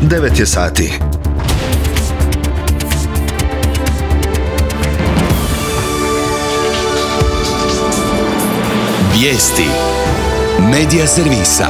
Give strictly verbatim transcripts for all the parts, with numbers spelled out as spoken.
devet je sati. Vijesti Medija servisa.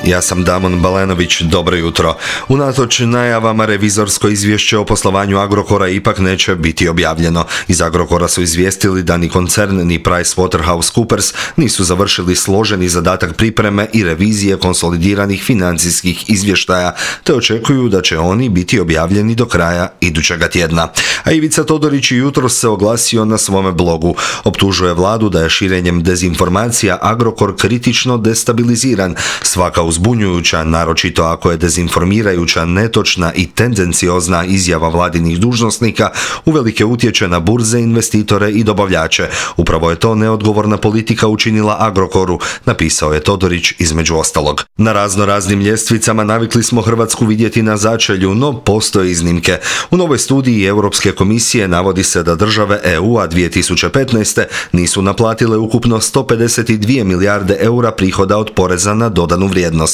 Ja sam Damon Balenović, dobro jutro. Unatoč najavama revizorsko izvješće o poslovanju Agrokora ipak neće biti objavljeno. Iz Agrokora su izvijestili da ni koncern ni PricewaterhouseCoopers nisu završili složeni zadatak pripreme i revizije konsolidiranih financijskih izvještaja, te očekuju da će oni biti objavljeni do kraja idućega tjedna. A Ivica Todorić jutros se oglasio na svome blogu. Optužuje vladu da je širenjem dezinformacija Agrokor kritično destabiliziran. Svaka uzbunjujuća, naročito ako je dezinformirajuća, netočna i tendenciozna izjava vladinih dužnosnika, uvelike utječe na burze, investitore i dobavljače. Upravo je to neodgovorna politika učinila Agrokoru, napisao je Todorić između ostalog. Na razno raznim ljestvicama navikli smo Hrvatsku vidjeti na začelju, no postoje iznimke. U novoj studiji Europske komisije navodi se da države E U-a dvije tisuće petnaeste nisu naplatile ukupno sto pedeset dvije milijarde eura prihoda od poreza na dodanu vrijednost.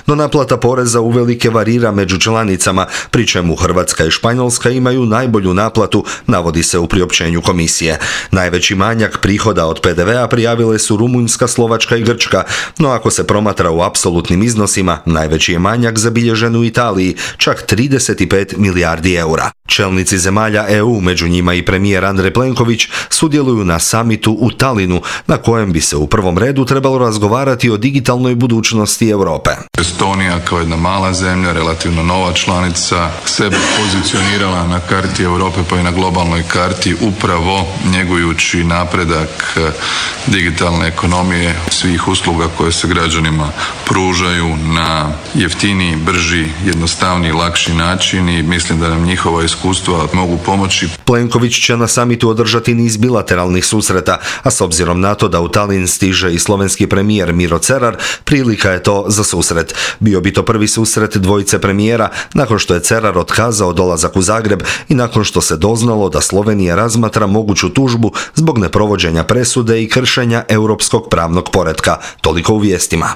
No naplata poreza uvelike varira među članicama, pri čemu Hrvatska i Španjolska imaju najbolju naplatu, navodi se u priopćenju komisije. Najveći manjak prihoda od P D V-a prijavile su Rumunjska, Slovačka i Grčka, no ako se promatra u apsolutnim iznosima, najveći je manjak zabilježen u Italiji, čak trideset pet milijardi eura. Čelnici zemalja E U, među njima i premijer Andrej Plenković, sudjeluju na samitu u Talinu, na kojem bi se u prvom redu trebalo razgovarati o digitalnoj budućnosti Europe. Estonija kao jedna mala zemlja, relativno nova članica, sebe pozicionirala na karti Europe pa i na globalnoj karti upravo njegujući napredak digitalne ekonomije, svih usluga koje se građanima pružaju na jeftiniji, brži, jednostavniji, lakši način i mislim da nam njihova iskustva mogu pomoći. Plenković će na samitu održati niz bilateralnih susreta, a s obzirom na to da u Talin stiže i slovenski premijer Miro Cerar, prilika je to za susret. Bio bi to prvi susret dvojice premijera nakon što je Cerar otkazao dolazak u Zagreb i nakon što se doznalo da Slovenija razmatra moguću tužbu zbog neprovođenja presude i kršenja europskog pravnog poretka. Toliko u vijestima.